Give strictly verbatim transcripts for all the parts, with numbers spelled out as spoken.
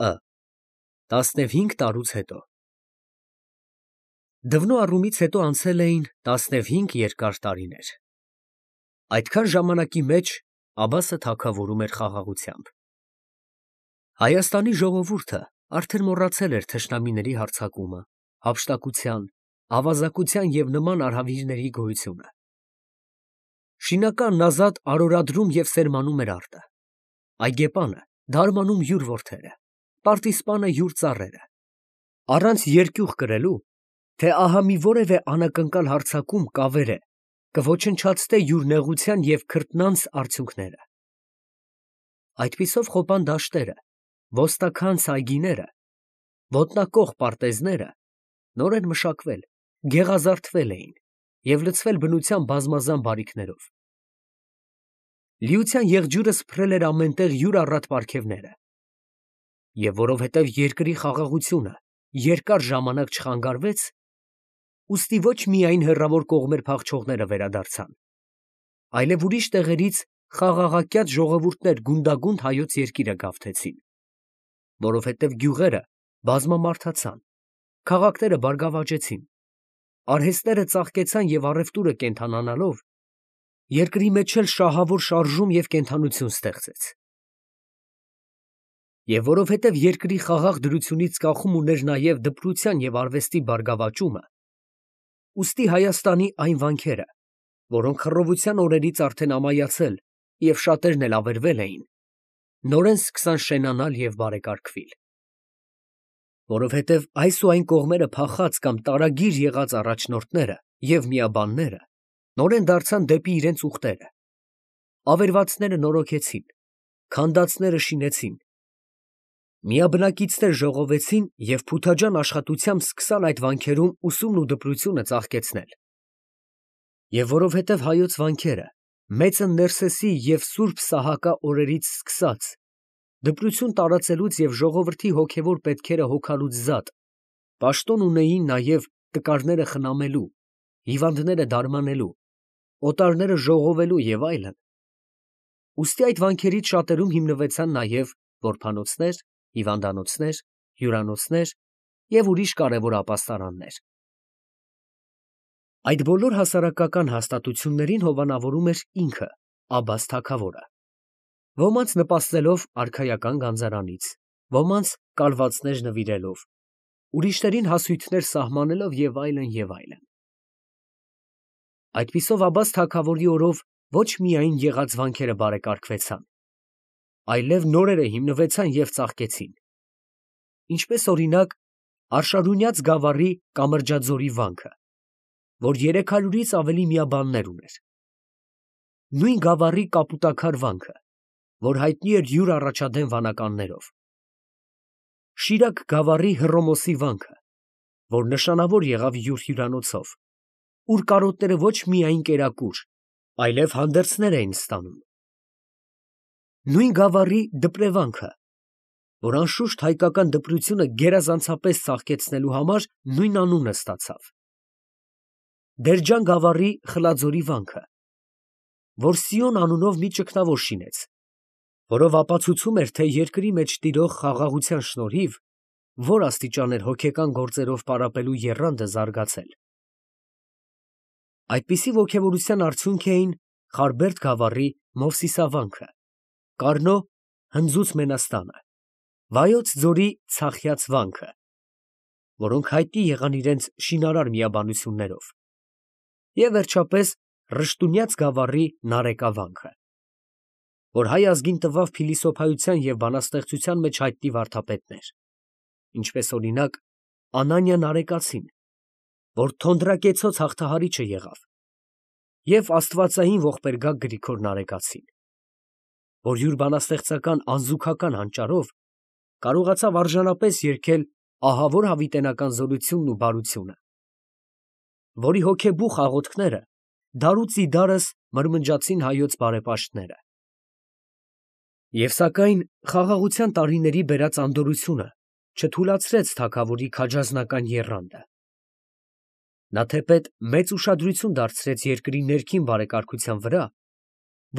Ը տասնևհինգ տարուց հետո Դվնո առումից հետո անցել էին տասնևհինգ երկար տարիներ։ Այդքան ժամանակի մեջ Աբբասը թագավորում էր խաղաղությամբ։ Հայաստանի ժողովուրդը արդեն մոռացել էր թշնամիների հարձակումը, հափշտակության, ավազակության և նման արհավիրների գոյությունը։ Շինականն ազատ արորադրում և սերմանում էր արտը, այգեպանը դարմանում յուր որդերը, պարտիզպանը յուր ծառերը, առանց երկյուղ կրելու, թե ահա մի որևէ անակնկալ հարձակում կավերե, կոչնչացնե յուր նեղության և քրտնանց արդյունքները։ Այդպիսով խոպան դաշտերը, ոստաքանց այգիները, ոտնակոխ պարտեզները նորեն մշակվել, գեղազարդվել էին և լցվել բնության բազմազան բարիքներով։ Լիության եղջյուրը սփռել էր ամենտեղ յուր առատ պարգևները։ Եվ որովհետև երկրի խաղաղությունը երկար ժամանակ չխանգարվեց, ուստի ոչ միայն հեռավոր կողմեր փախչողները վերադարձան, այլև ուրիշ տեղերից խաղաղակյաց ժողովուրդներ գունդագունդ հայոց երկիրը գավթեցին, որովհետև գյուղերը բազմամարդացան, քաղաքները բարգավաճեցին, արհեստները ծաղկեցան և առևտուրը կենդանանալով, երկրի մեջ էլ շահավոր շարժում և կենդանություն ստեղծեց։ Եվ որովհետև երկրի խաղաղ դրությունից կախում ուներ նաև դպրության և արվեստի բարգավաճումը, ուստի Հայաստանի այն վանքերը, որոնք խռովության օրերից արդեն ամայացել և շատերն էլ ավերվել էին, նորեն սկսան շենանալ և բարեկարգվել։ Որովհետև այս ու այն կողմերը փախած կամ տարագիր եղած առաջնորդները և միաբանները նորեն դարձան դեպի իրենց ուխտերը, ավերվածները նորոգեցին, քանդածները շինեցին, միաբնակիցներ ժողովեցին և փութաջան աշխատությամբ սկսան այդ վանքերում ուսումն ու դպրությունը ծաղկեցնել։ Եվ որովհետև հայոց վանքերը մեծն Ներսեսի և սուրբ Սահակա օրերից սկսած դպրություն տարածելուց և ժողովրդի հոգևոր պետքերը հոգալուց զատ պաշտոն ունեին նաև տկարները խնամելու, հիվանդները դարմանելու, օտարները ժողովելու և այլն, ուստի այդ վանքերից շատերում հիմնվեցան նաև որբանոցներ, հիվանդանոցներ, հյուրանոցներ և ուրիշ կարևոր ապաստարաններ։ Այդ բոլոր հասարակական հաստատություններին հովանավորում էր ինքը Աբբաս թագավորը, ոմանց նպաստելով արքայական գանձարանից, ոմանց կալվածներ նվիրելով, ուրիշներին հասույթներ սահմանելով և այլն, և այլն։ Այդպիսով Աբբաս թագավորի օրով ոչ միայն եղած վանքերը բարեկարգվեցան, այլև նորերը հիմնվեցան և ծաղկեցին, ինչպես օրինակ Արշալունյաց գավառի Կամրջաձորի վանքը, որ երեք հարյուրից ավելի միաբաններ ուներ, նույն գավառի Կապուտաքար վանքը, որ հայտնի էր յուր առաջադեմ վանականներով, Շիրակ գավառի Հռոմոսի վանքը, որ նշանավոր եղավ յուր հյուրանոցով, ուր կարոտները ոչ միայն կերակուր, այլև հանդերձներ էին ստանում, նույն գավառի Դպրևանքը, որ անշուշտ հայկական դպրությունը գերազանցապես ծաղկեցնելու համար նույն անունը ստացավ, Դերջան գավառի Խլաձորի վանքը, որ Սիոն անունով մի ճգնավոր շինեց, որով ապացուցում էր, թե երկրի մեջ տիրող խաղաղության շնորհիվ որ աստիճան էր հոգեկան գործերով պարապելու եռանդը զարգացել։ Այդպիսի ոգևորության արդյունք էին Խարբերդ գավառի Մովսիսավանքը, Կառնո Հնձուց Մենաստանը, Վայոց ձորի Ցախյաց վանքը, որոնք հայտնի եղան իրենց շինարար միաբանություններով, և վերջապես Ռշտունյաց գավառի Նարեկա վանքը, որ հայ ազգին տվավ փիլիսոփայության և բանաստեղծության մեջ հայտնի վարդապետներ, ինչպես օրինակ Անանիա Նարեկացին, որ թոնդրակեցոց հաղթահարիչը եղավ, և աստվածային ողբերգակ Գրիգոր Նարեկացին, որ յուր բանաստեղծական անզուգական հանճարով կարողացավ արժանապես երգել ահավոր հավիտենական զորությունն ու բարությունը, որի հոգեբուխ աղոթքները դարուց ի դարս մրմնջացին հայոց բարեպաշտները։ Եվ սակայն խաղաղության տարիների բերած անդորրությունը չթուլացրեց թագավորի քաջազնական եռանդը։ Նա թեպետ մեծ ուշադրություն դարձրեց երկրի ներքին բարեկարգության վրա,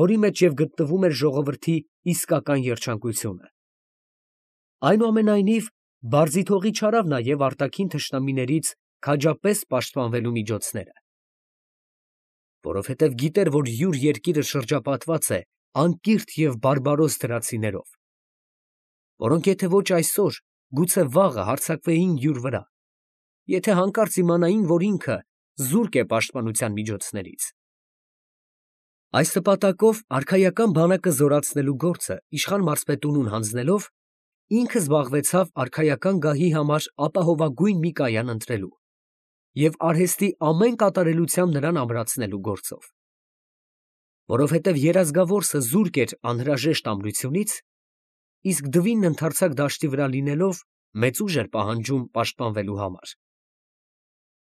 որի մեջ և գտնվում էր ժողովրդի իսկական երջանկությունը։ Այնուամենայնիվ, բարձիթողի չարավ նաև արտաքին թշնամիներից քաջապես պաշտպանվելու միջոցները, որովհետև գիտեր, որ յուր երկիրը շրջապատված է անկիրթ և բարբարոս դրացիներով, որոնք եթե ոչ այսօր, գուցե վաղը հարձակվեին յուր վրա, եթե հանկարծ իմանային, որ ինքը զուրկ է պաշտպանության միջոցներից։ Այս նպատակով արքայական բանակը զորացնելու գործը իշխան մարզպետունուն հանձնելով, ինքը զբաղվեցավ արքայական գահի համար ապահովագույն մի կայան ընտրելու և արհեստի ամեն կատարելությամբ նրան ամրացնելու գործով։ Որովհետև երազգավորսը զուրկ էր անհրաժեշտ ամրությունից, իսկ դվինն ընդարձակ դաշտի վրա լինելով մեծ ուժ էր պահանջում պաշտպանվելու համար։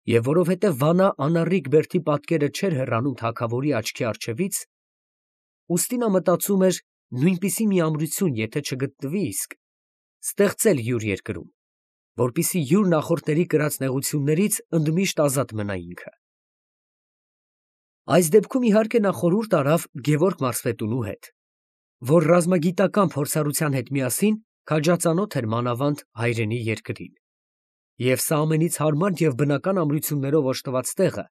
Եվ որովհետև Վանա անառիկ բերդի պատկերը չէր հեռանում թագավորի աչքի առջևից, ուստի նա մտածում էր նույնպիսի մի ամրություն, եթե չգտնվի իսկ, ստեղծել յուր երկրում, որպեսզի յուր նախորդների կրած նեղություններից ընդմիշտ ազատ մնա ինքը։ Այս դեպքում իհարկե նա խորհուրդ արավ Գևորգ մարզպետունու հետ, որ ռազմագիտական փորձառության հետ միասին քաջածանոթ էր մանավանդ հայրենի երկրին, և սա ամենից հարմար և բնական ամրություններով օժտված տեղը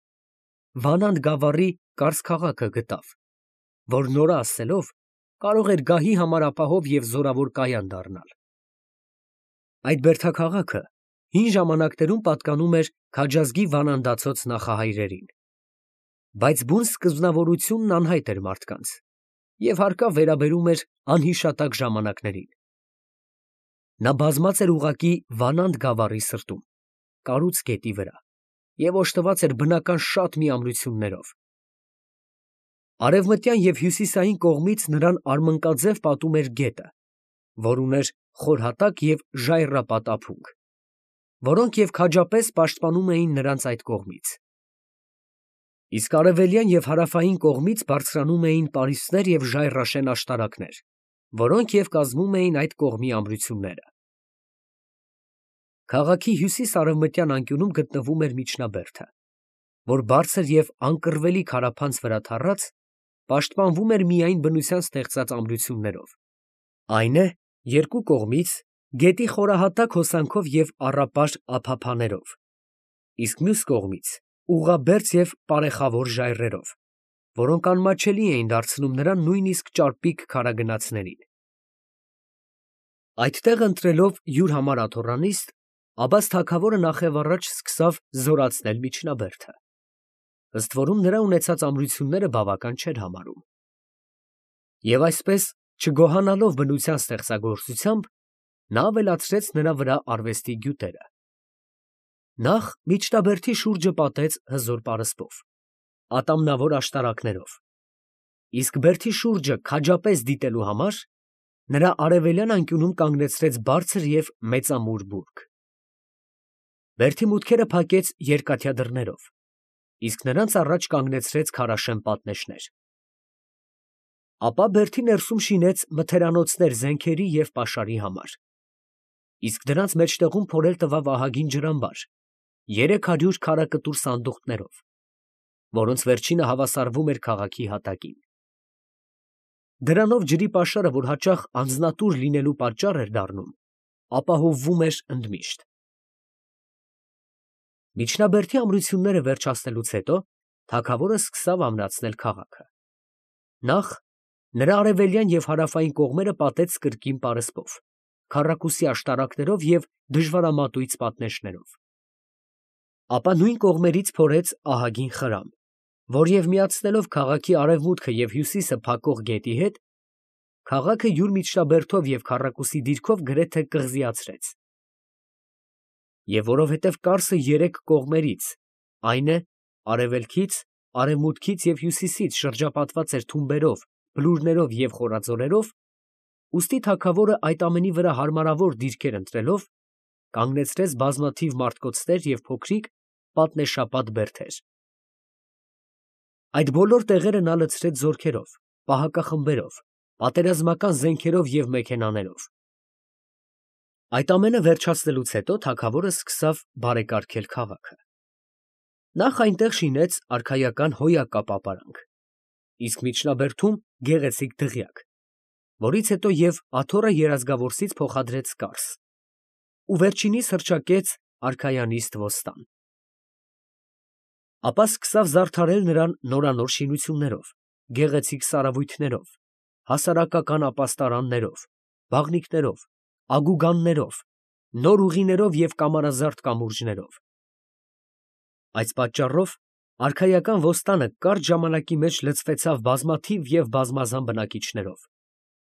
Վանանդ գավառի Կարս քաղաքը գտավ, որ նորը ասելով կարող էր գահի համար ապահով և զորավոր կայան դառնալ։ Այդ բերդաքաղաքը հին ժամանակներում պատկանում էր քաջազգի վանանդացոց նախահայրերին, բայց բուն սկզբնավորությունն անհայտ էր մարդկանց և հարկավ վերաբերում էր անհիշատակ ժամանակներին։ Նա բազմած էր ուղղակի Վանանդ գավառի սրտում, կառուց գետի վրա, և օժտված էր բնական շատ մի ամրություններով։ Արևմտյան և հյուսիսային կողմից նրան արմնկաձև պատում էր գետը, որ ուներ խոր հատակ և ժայռապատ ափունգ, որոնք և քաջապես պաշտպանում էին նրանց այդ կողմից։ Իսկ արևելյան և հարավային կողմից բարձրանում էին պարիսպներ և ժայռաշեն աշտարակներ, որոնք և կազմում էին այդ կողմի ամրությունները։ Քաղաքի հյուսիս֊արևմտյան անկյունում գտնվում էր միջնաբերդը, որ բարձր և անկռվելի քարափանց վրա թառած, պաշտպանվում էր միայն բնության ստեղծած ամրություններով, այն է, երկու կողմից գետի խորահատակ հոսանքով և առապար ափափաներով, իսկ մյուս կողմից ուղղաբերձ և պարեխավոր ժայռերով, որոնք անմատչելի էին դարձնում նրան նույնիսկ ճարպիկ քարագնացներին։ Այդ տեղը ընտրելով յուր համար աթոռանիստ, Աբբաս թագավորը նախևառաջ սկսավ զորացնել միջնաբերդը, ըստ որում նրա ունեցած ամրությունները բավական չէր համարում։ Եվ այսպես, չգոհանալով բնության ստեղծագործությամբ, նա ավելացրեց նրա վրա արվեստի գյուտերը։ Նախ միջնաբերդի շուրջը պատեց հզոր պարսպով, ատամնավոր աշտարակներով, իսկ բերդի շուրջը քաջապես դիտելու համար նրա արևելյան անկյունում կանգնեցրեց բարձր և մեծամուր բուրգ։ Բերդի մուտքերը փակեց երկաթյա դռներով, իսկ նրանց առաջ կանգնեցրեց քարաշեն պատնեշներ։ Ապա բերդի ներսում շինեց մթերանոցներ զենքերի և պաշարի համար, իսկ դրանց մեջտեղում փորել տվավ ահագին ջրամբար երեք հարյուր քարակտուր սանդուղքներով, որոնց վերջինը հավասարվում էր քաղաքի հատակին։ Դրանով ջրի պաշարը, որ հաճախ անձնատուր լինելու պատճառ էր դառնում, ապահովվում էր ընդմիշտ։ Միջնաբերդի ամրությունները վերջացնելուց հետո թագավորը սկսավ ամրացնել քաղաքը։ Նախ նրա արևելյան և հարավային կողմերը պատեց կրկին պարսպով, քառակուսի աշտարակներով և դժվարամատույց պատնեշներով։ Ապա նույն կողմերից փորեց ահագին խրամ, որ և միացնելով քաղաքի արևմուտքը և հյուսիսը փակող գետի հետ, քաղաքը յուր միջնաբերդով և քառակուսի դիրքով գրեթե կղզիացրեց։ Եվ որովհետև Կարսը երեք կողմերից, այն է, արևելքից, արևմուտքից և հյուսիսից շրջապատված էր թումբերով, բլուրներով և խորաձորերով, ուստի թագավորը այդ ամենի վրա հարմարավոր դիրքեր ընտրելով, կանգնեցրեց բազմաթիվ մարտկոցներ և փոքրիկ պատնեշապատ բերդեր։ Այդ բոլոր տեղերը նա լցրեց զորքերով, պահակախմբերով, պատերազմական զենքերով և մեքենաներով։ Այդ ամենը վերջացնելուց հետո թագավորը սկսավ բարեկարգել քաղաքը։ Նախ այնտեղ շինեց արքայական հոյակապ ապարանք, իսկ միջնաբերդում գեղեցիկ դղյակ, որից հետո և աթոռը երազգավորսից փոխադրեց կարս, ու վերջինիս հռչակեց արքայանիստ ոստան։ Ապա սկսավ զարդարել նրան նորանոր շինություններով, գեղեցիկ սարավույթներով, հասարակական ապաստարաններով, բաղնիքներով, ագուգաններով, նոր ուղիներով և կամարազարդ կամուրջներով։ Այս պատճառով արքայական ոստանը կարճ ժամանակի մեջ լցվեցավ բազմաթիվ և բազմազան բնակիչներով,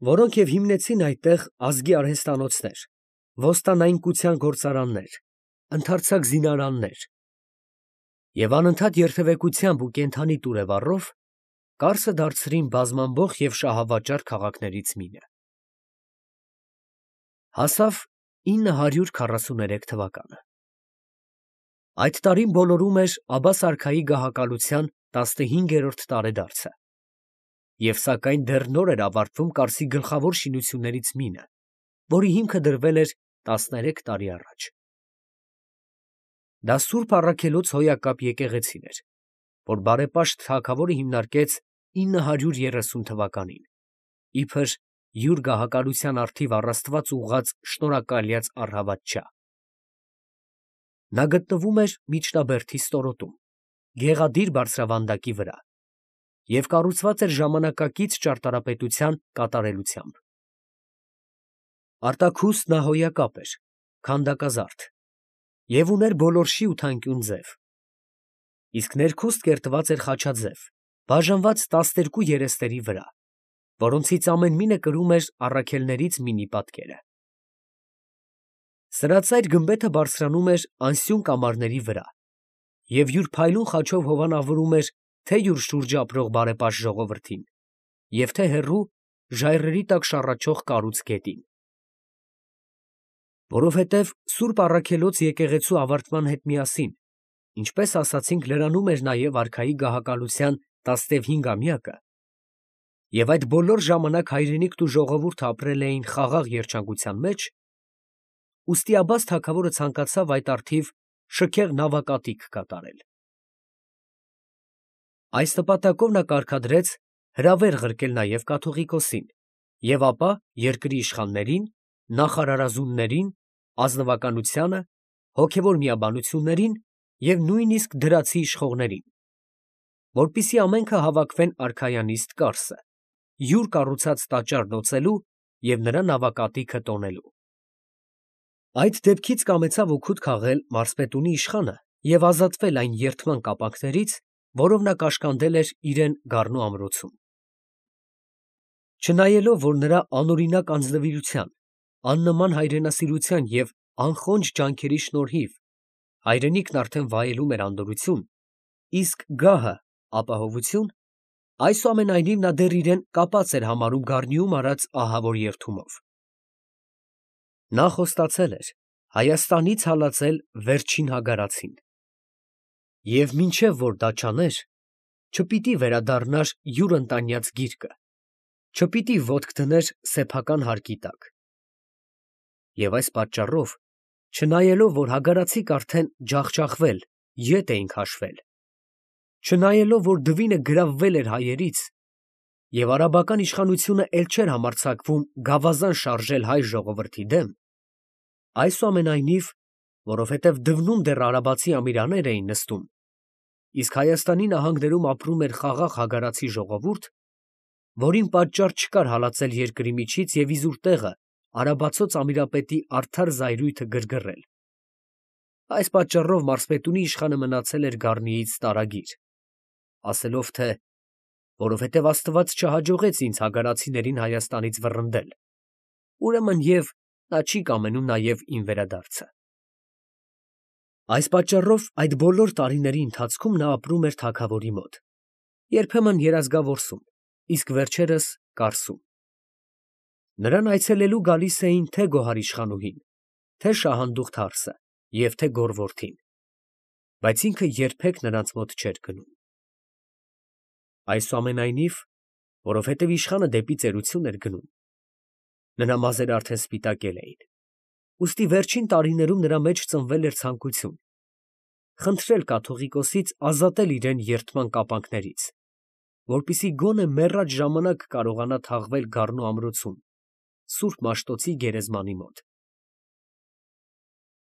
որոնք և հիմնեցին այդտեղ ազգի արհեստանոցներ, ոստանայնկության գործարաններ, ընդարձակ զինարաններ և անընդհատ երթևեկությամբ ու կենդանի տուրը վառով Կարսը դարձրին բազմամբոխ և շահավաճառ քաղաքներից մինը։ Հասավ ինը հարյուր քառասուներեք թվականը։ Այդ տարին բոլորում էր Աբբաս արքայի գահակալության տասնհինգերորդ տարեդարձը, և սակայն դեռ նոր էր ավարտվում Կարսի գլխավոր շինություններից մինը, որի հիմքը դրվել էր տասներեք տարի առաջ։ Դա Սուրբ Առաքելոց հոյակապ եկեղեցին էր, որ բարեպաշտ թագավորը հիմնարկեց ինը հարյուր երեսուն թվականին, իբր յուր գահակալության առթիվ առ Աստված ուղղած շնորհակալյաց առհավատչա։ Նա գտնվում էր միջնաբերդի ստորոտում, գեղադիր բարձրավանդակի վրա և կառուցված էր ժամանակակից ճարտարապետության կատարելությամբ։ Արտաքուստ նա հոյակապ էր, քանդակազարդ և ուներ բոլորշի ու թանկյուն ձև, իսկ ներքուստ կերտված էր խաչաձև, բաժանված տասներկու երեսների վրա, որոնցից ամեն մինը կրում էր առաքելներից մինի պատկերը։ Սրածայր գմբեթը բարձրանում էր անսյուն կամարների վրա և յուր փայլուն խաչով հովանավորում էր թե՛ յուր շուրջը ապրող բարեպաշտ ժողովրդին և թե՛ հեռու ժայռերի տակ շառաչող կառույց գետին։ Որովհետև Սուրբ Առաքելոց եկեղեցու ավարտման հետ միասին, ինչպես ասացինք, լրանում էր նաև արքայի գահակալության տասնևհինգամյակը, և այդ բոլոր ժամանակ հայրենիքն ու ժողովուրդը ապրել էին խաղաղ երջանկության մեջ, ուստի Աբբաս թագավորը ցանկացավ այդ առթիվ շքեղ նավակատիք կատարել։ Այս նպատակով նա կարգադրեց հրավեր ղրկել նաև կաթողիկոսին և ապա երկրի իշխաններին, նախարարազուններին, ազնվականությանը, հոգևոր միաբանություններին և նույնիսկ դրացի իշխողներին, որպեսզի ամենքը հավաքվեն արքայանիստ Կարսը, յուր կառուցած տաճարն օծելու և նրա նավակատիքը տոնելու։ Այդ դեպքից կամեցավ օգուտ քաղել մարզպետունի իշխանը և ազատվել այն երդման կապանքներից, որով նա կաշկանդել էր իրան գառնու ամրոցում։ Չնայելով, որ նրա անօրինակ անձնվիրության, աննման հայրենասիրության և անխոնջ ջանքերի շնորհիվ հայրենիքն արդեն վայելում էր անդորրություն, իսկ գահը՝ ապահովություն, այսուամենայնիվ նա դեռ իրան կապած էր համարում գառնիում արած ահավոր երդումով։ Նա խոստացել էր Հայաստանից հալածել վերջին հագարացին և մինչև որ դա չաներ, չպիտի վերադառնար յուր ընտանյաց գիրկը, չպիտի ոտք դներ սեփական հարկի տակ։ Եվ այս պատճառով, չնայելով, որ հագարացիք արդեն ջախջախվել, ետ էին քաշվել, չնայելով, որ դվինը գրավվել էր հայերից, և արաբական իշխանությունը էլ չէր համարձակվում գավազան շարժել հայ ժողովրդի դեմ, այսուամենայնիվ, որովհետև դվնում դեռ արաբացի ամիրաներ էին նստում, իսկ Հայաստանի նահանգներում ապրում էր խաղաղ հագարացի ժողովուրդ, որին պատճառ չկար հալածել երկրի միջից և իզուր տեղը արաբացոց ամիրապետի արդար զայրույթը գրգռել, այս պատճառով մարզպետունի իշխանը մնացել էր գառնիից տարագիր, ասելով թե «որովհետև Աստված չհաջողեց ինձ հագարացիներին Հայաստանից վռնդել, ուրեմն և նա չի կամենում նաև իմ վերադարձը»։ Այս պատճառով այդ բոլոր տարիների ընթացքում նա ապրում էր թագավորի մոտ, երբեմն Երազգավորսում, իսկ վերջերս Կարսում։ Նրան այցելելու գալիս էին թե՛ գոհարիշխանուհին, թե՛ շահանդուխտ հարսը և թե՛ գոռվորդին, բայց ինքը երբեք նրանց մոտ չէր գնում։ Այսուամենայնիվ, որովհետև իշխանը դեպի ծերություն էր գնում, նրա մազերը արդեն սպիտակել էին, ուստի վերջին տարիներում նրա մեջ ծնվել էր ցանկություն խնդրել կաթողիկոսից ազատել իրան երդման կապանքներից որպեսզի գոնե մեռած ժամանակ կարողանա թաղվել գառնու ամրոցում, սուրբ Մաշտոցի գերեզմանի մոտ։